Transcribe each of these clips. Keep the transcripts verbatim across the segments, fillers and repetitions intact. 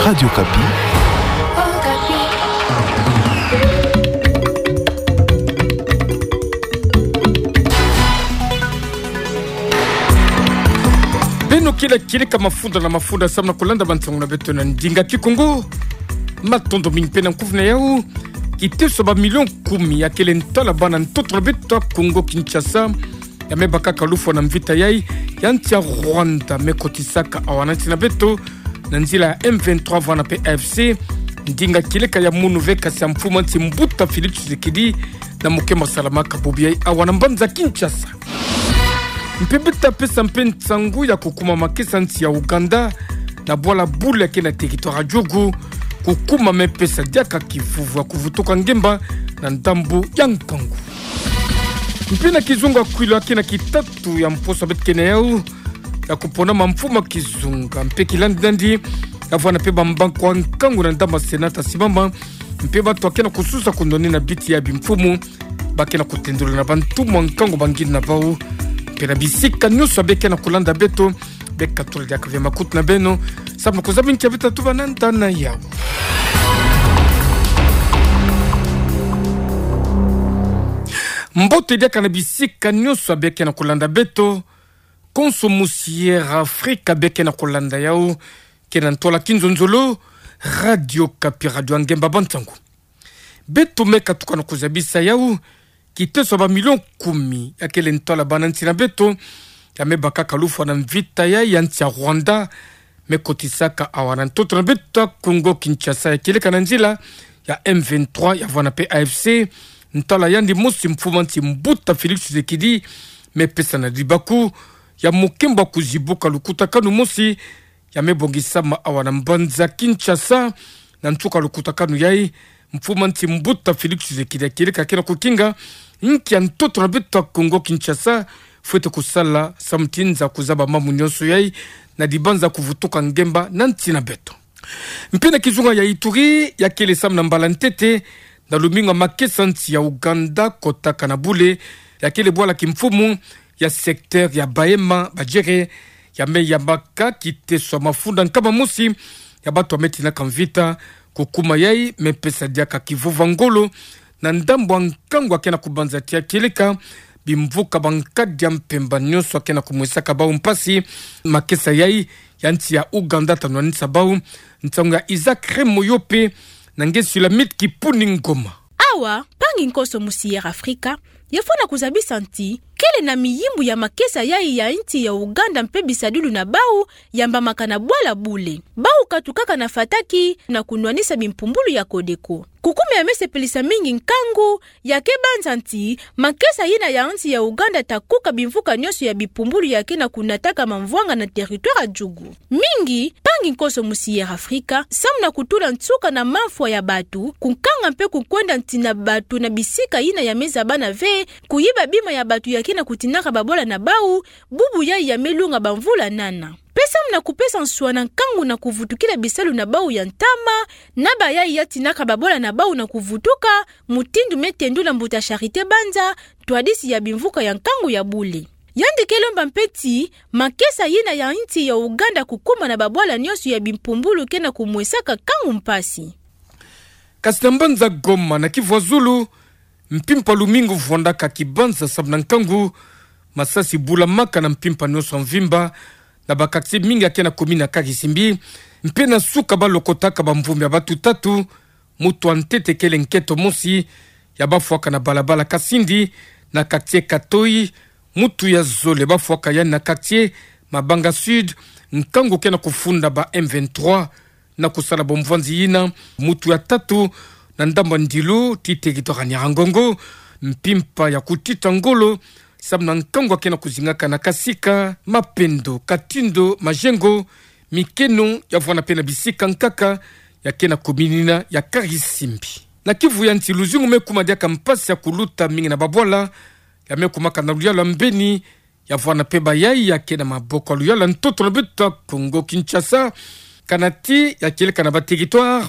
Radio Okapi. Beno kila kieleka mafunda na mafunda samu na kulanda bansangu na beto na ndinga Kikongo. Matondo mingi mpe na nkufi na yau. Kiteso ba millions kumi ya kele ntwala bana ntoto na beto ya Kongo Kinshasa, ya me bakaka lufwa na mvita yai ya nsi ya Rwanda me kotisaka awa na nsi na beto, na nzila ya M vingt-trois vwanda mpe A F C, ndinga kieleka ya munu ve kasi ya mfumu a nsi Mbuta Félix Tshisekedi na mokemba salamaka bobo yai awa na mbanza Kinshasa. Mpe beta pesa mpe nsangu ya kukuma makesa nsi ya Ouganda na bwala Bule ya ke na territoire ya Djugu, kukuma me pesa diaka kivuvu ya kuvutuka ngemba na ndambu ya nkangu. Mpe na kizunga kwilo ya ke na kitatu ya mposo beto ke na yau, ya kupona ma mfumu a kizunga mpe kilandi nandi, ya vwanda mpe bambangi kwa nkangu na ndambu ya Sénat tasimama, mpe bato ya ke na kususa kunwanina biti ya bimfumu, ba ke na kutendula na bantu mwa nkangu bangini na bau, mpe na bisika nyonso be ke na kulanda beto, beka tula diaka ve makutu na beno, samu na kuzaba nki ya beta tubana nda na yau. Mbote diaka na bisika nyonso be ke na kulanda beto, konso musi Air Africa be ke na kulanda yau, ke na ntwala kinzonzolo, Radio Okapi, radio ya ngemba bansangu. Beto me katuka na kuzabisa yau, kiteso ba millions kumi ya kele ntwala bana nsi na beto, ya me bakaka lufwa na mvita yai ya nsi ya Rwanda, me kotisaka awa na ntoto na beto ya Kongo Kinshasa ya kieleka na nzila ya M vingt-trois ya vwanda mpe A F C, ntwala yandi mosi mfumu a nsi Mbuta Félix Tshisekedi me pesa na libaku ya mokembo ya kuzibuka lukutakanu mosi, ya me bongisama awa na mbanza Kinshasa. Na nsuka lukutakanu yai, mfumu a nsi Mbuta Félix Tshisekedi ya kieleka ke na kukinga nki ya ntoto na beto ya Kongo Kinshasa fwete kusala samu ti nza kuzaba mambu nyonso yai na dibanza kuvutuka ngemba na nsi na beto. Mpe na kizunga ya Ituri, ya kele samu na mbala ntete, na lumingu ya makesa nsi ya Ouganda kotaka na Bule, ya kele bwala kimfumu ya secteur ya Bahema Badjere, ya me yambaka kiteso ya mafunda nkama mosi ya bato ya me tinaka mvita, kukuma yai me pesa diaka kivuvu ya ngolo na ndambu ya nkangu ya ke na kubanza ti ya kieleka bimvuka bankadi ya mpemba nyonso ya ke na kumwesaka bau mpasi. Makesa yai ya nsi ya Ouganda ta nwanisa bau. Nsangu ya Isaac Remoyope na nge Sulamite Kipuni Ngoma. Awa, mpangi nkonso musi Air Africa, ye fwana kuzabisa nti kele na miyimbu ya makesa yai ya nsi ya Ouganda mpe bisadulu na bau, yambamaka na bwala Bule. Bau katukaka na fataki na kunwanisa bimpumbulu ya Codeco. Kukuma ya me sepelisa mingi nkangu, ya ke banza nti makesa yina ya nsi ya Ouganda ta kuka bimvuka nyonso ya bimpumbulu ya ke na kunataka mamvwanga na territoire ya Djugu. Mingi, mpangi nkonso musi Air Africa, samu na kutula nsuka na mamfwa ya bato, kunkanga mpe kukwenda nsi na bato na bisika yina ya me zabana ve, kuyiba bima ya bato ya ke na kutinaka babwala na bau, bubu yai ya me lunga bamvula nana. Mpe samu na kupesa nswa na nkangu na kuvutukila bisalu na bau ya ntama, na bayai ya tinaka babwala na bau na kuvutuka, mutindu me tendula mbuta Charité Banza, ntwadisi ya bimvuka ya nkangu ya Bule. Yandi ke lomba mpe ti makesa yina ya nsi ya Ouganda kukuma na babwala nyonso ya bimpumbulu ke na kumwesaka nkangu mpasi. Kasi na mbanza Goma na Kivu ya Zulu, mpimpa lumingu vwandaka kibanza samu na nkangu, masasi bulamaka na mpimpa nyonso ya mvimba, na ba quartier mingi ya ke na commune ya Karisimbi, mpe na suka balokotaka bamvumbi ya bato tatu, mutu ya ntete kele nketo mosi, ya bafwaka na balabala Kasindi, na quartier Katoi, mutu ya zole bafwaka yandi na quartier Mabanga Sud, nkangu ke na kufunda ba M vingt-trois, na kusala bomvwanzi yina, mutu ya tatu, na ndambu ya Ndilu, ti territoire ya Nyiragongo, mpimpa ya kutita ngolo, samu na nkangu ya ke na kuzingaka na Kasika, Mapendo, Katindo, Majengo, Mikeno, ya vwanda mpe na bisika nkaka, ya ke na commune yina ya Karisimbi. Na Kivu ya Nsi luzingu me kuma diaka mpasi ya kuluta mingi na babwala, ya me kumaka na luyalu ya Mbeni, ya vwanda mpe bayai ya ke na maboko ya luyalu ya ntoto na beto ya Congo Kinshasa, kana ti ya kieleka na ba territoire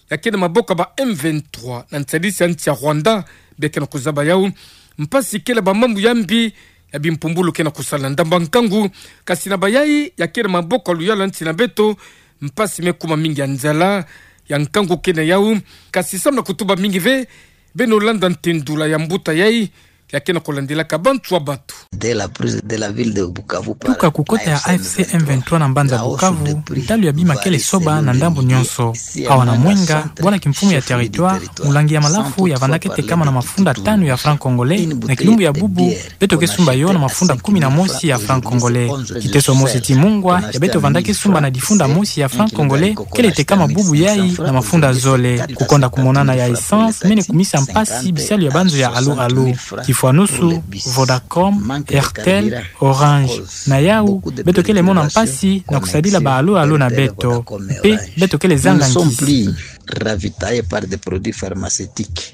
ya ke na maboko ya ba M vingt-trois na nsadisi ya nsi ya Rwanda, be ke na kuzaba yau. Mpasi kele ba mambu ya mbi ya bimpumbulu ke na kusala na ndambu ya nkangu, kasi na bayai ya ke na maboko ya luyalu ya nsi na beto, mpasi me kuma mingi ya nzala, ya nkangu ke na yau, kasi samu na kutuba mingi ve, beno landa ntendula ya mbuta yai, ya ke na kulandilaka bantu ya batu. De la prise de la ville de Bukavu par Tuka ku kota ya A F C M vingt-trois na mbanza Bukavu, ntalu ya bima kele soba na ndambu nyonso. Awa na Mwenga, bwana kimfumu ya territoire, mulangi ya malafu ya vandaka tekama na mafunda tanu ya franc congolais, na kilumbu ya bubu, beto ke sumba yo na mafunda kumi na mosi ya franc congolais. Kiteso mosi ti mungwa, ya beto vandaka sumba na difunda mosi ya franc congolais, kele tekama bubu yai na mafunda zole. Kukonda kumonana ya essence, mene kumisa mpasi bisalu ya banzo ya alu alu. Kifwanusu, Vodacom, Airtel, Orange. Na yau, beto kele mona mpasi na kusadila ba alu alu na beto. Mpe, beto kele zanga nkisi. Ravitaillés par des produits pharmaceutiques.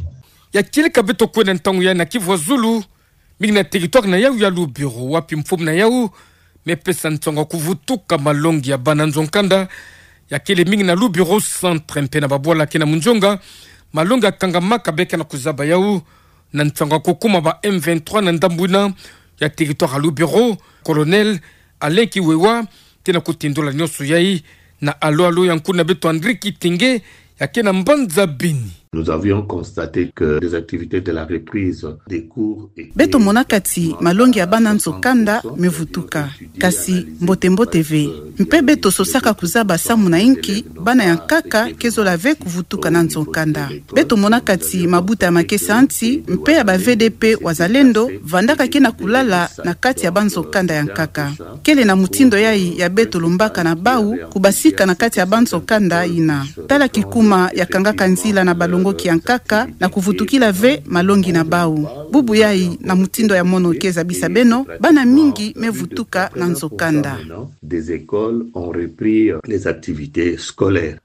Ya kieleka beto kwenda ntangu yai na Kivu ya Zulu, mingi na territoire na yau ya Lubero, wapi mfumu na yau me pesa nsangu ya kuvutuka malongi ya bana nzo-nkanda, ya kele mingi na Lubero centre mpe na babwala ke na munzonga, malongi ya kangamaka beka na kuzaba yau, na nsangu ya kukuma ba M vingt-trois na ndambu yina ya territoire ya Lubero, Colonel Alain Kiwewa, ke na kutindula nyonso yai, na alu alu ya nkuna beto André Kitenge, ya ke na mbanza Beni. Nous avions constaté que les activités de la reprise des cours étaient Beto monaka ti malongi ya bana nzo-nkanda me vutuka. Kasi mbote mbote ve. Mpe beto sosaka kuzaba samu na inki bana ya nkaka ke zola ve kuvutuka na nzo-nkanda. Beto monaka ti mabuta ya makesa nti, mpe ya ba V D P Wazalendo, vandaka ke na kulala na kati ya banzo-nkanda ya nkaka. Kele na mutindo yai ya beto lombaka na bau, kubasika na kati ya banzo-nkanda yina. Tala kikuma ya kangaka nzila na balongoki ya nkaka, na kuvutukila ve malongi na bau. Bubu yai na mutindo ya mono ke zabisa beno, bana mingi me vutuka na nzo-nkanda. Des écoles ont repris les activités scolaires.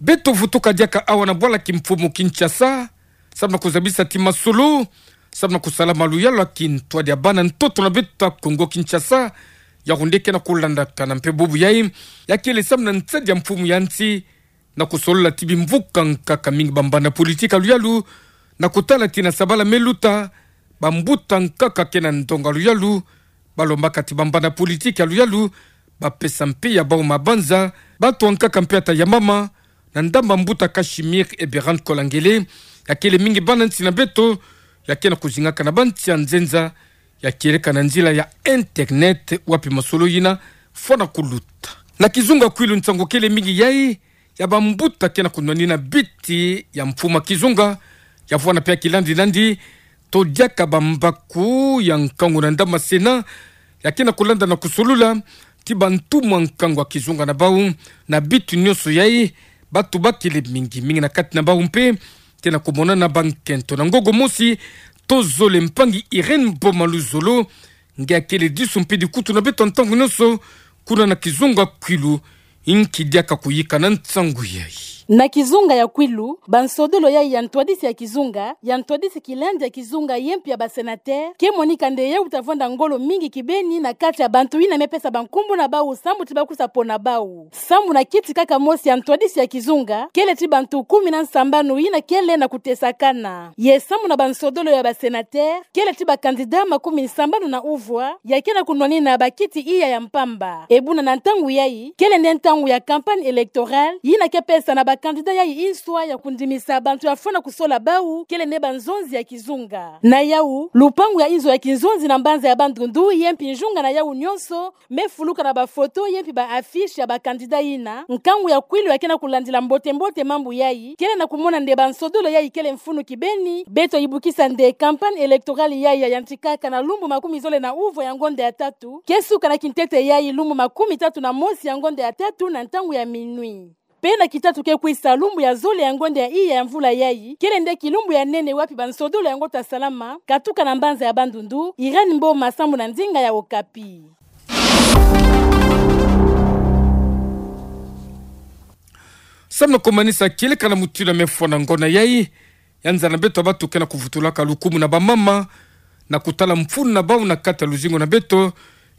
Beto vutuka diaka awa na bwala kimfumu Kinshasa, samu na kuzabisa ti masolo, samu na kusala maluyalu ya kintwadi ya bana ntoto na beto ya Kongo Kinshasa, yawu nde ke na kulandakana mpe bubu yai, ya kele samu na nsadi ya mfumu ya nsi, na kusolola ti bimvuka nkaka mingi bambanda politiki ya luyalu, na kutala ti na sabala me luta, bambuta nkaka ke na ndonga luyalu, balombaka ti bambanda politiki ya luyalu, bapesa mpe ya bau mabanza, bato ya nkaka mpe ata ya mama, na ndambu ya mbuta Casimir Eberhard Kolangele, ya kele mingi bana nsi na beto, ya ke na kuzingaka na bansi ya nzenza, ya kieleka na nzila ya internet, wapi masolo yina fwana kuluta. Na kizunga Kwilu nsangu kele mingi yai, ya bambuta ke na kunwanina biti ya mfumu ya kizunga, ya fwana mpe ya kilandi nandi, to diaka bambaku ya nkangu na ndambu ya Sénat, ya ke na kulanda na kusolula ti bantumwa nkangu ya kizunga na bau, na bitu nyonso yai, bato bakele mingi, mingi na kati na bau mpe ke na kumonana bankento. Na ngogo mosi, tozole mpangi Irène Boma Luzolo, nge ya kele disu mpe dikutu na beto ntangu nyonso, kuna na kizunga Kwilu, inki diaka kuyika na nsangu yai. Na kizunga ya Kwilu, bansodolo yai ya ntwadisi ya kizunga, ya ntwadisi kilandi ya kizunga ye mpe ya ba sénateur, ke monika nde yau ta vwanda ngolo mingi kibeni na kati ya bantu yina me pesa bankumbu na bau samu ti bakusa pona bau. Samu na kiti kaka mosi ya ntwadisi ya kizunga, kele ti bantu kumi na nsambanu yina kele na kutesakana. Ye samu na bansodolo ya ba sénateur, kele ti ba candidat makumi nsambanu na uvwa, ya ke na kunwanina bakiti iya ya mpamba. E buna na ntangu yai, kele nde ntangu ya campagne électorale, yina ke pesa na ba candidat yai inswa ya kundimisa bantu ya fwana kusola bau, kele nde banzonzi ya kizunga. Na yau, lupangu ya inzo ya kinzonzi na mbanza ya Bandundu, ye mpe njunga na yau nyonso, me fuluka na ba photo ye mpe ba affiche ya ba candidat yina, nkangu ya Kwilu ya ke na kulandila mbote mbote mambu yai, kele na kumona nde bansodolo yai kele mfunu kibeni, beto yibukisa nde campagne électorale yai ya yantikaka na lumbu makumi zole na uvwa ya ngonda ya tatu, ke suka na kintete yai lumbu makumi tatu na mosi ya ngonda ya tatu na ntangu ya minuit. Mpe na kitatu ke kwisa lumbu ya zole ya ngonda ya iya ya mvula yai, kele nde kilumbu ya nene wapi bansodolo yango ta salama, katuka na mbanza ya Bandundu, Irène Mboma samu na ndinga ya Okapi. Samu na kumanisa kieleka na mutindu ya me fwana ngona yai, ya nza na beto ya batu ke na kuvutulaka lukumu na bamama, na kutala mfunu na bau na kati ya luzingu na beto,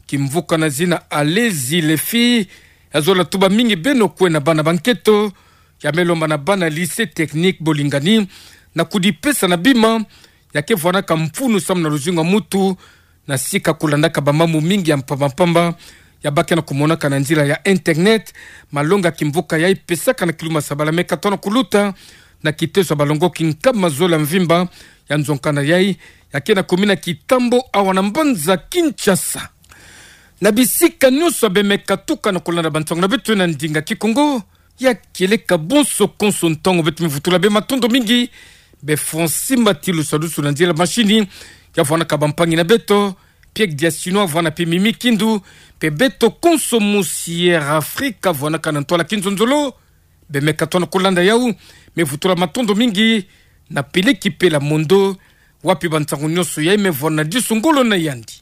kimvuka na zina Allez-y les filles, ya zola tuba mingi beno kwena bana ba nketo, ya me lomba na bana lycée technique Bolingani, na kudipesa na bima, ya ke vwanaka mfunu samu na luzingu ya mutu, na sika kulandaka bamambu mingi ya mpamba mpamba, ya baki na kumonaka na nzila ya internet. Malonga kimvuka yai pesaka na kiluma sabala meka tona kuluta na kiteso ya balongoki nkama zole ya mvimba ya nzonka na yai, ya ke na kumina kitambo awa na mbanza Kinshasa. Na bisika nyonso bemeka tuka na kulanda bansango na beto na ndinga Kikongo, ya kieleka bonso konso ntango beto me vutula bê matondo mingi. Bê Francine Matilu Salusu na nzila machine, ya vwanaka bampangi na beto, Pierre Diasino, vwana pe Mimi Kindu, pe beto konso mosi Air Africa vwanaka na ntwala kinzonzolo, bemeka tona kulanda yau, me vutula matondo mingi na peleki pe la mondo, wapi bansango nyonso yai me vwana disu ngolo na yandi.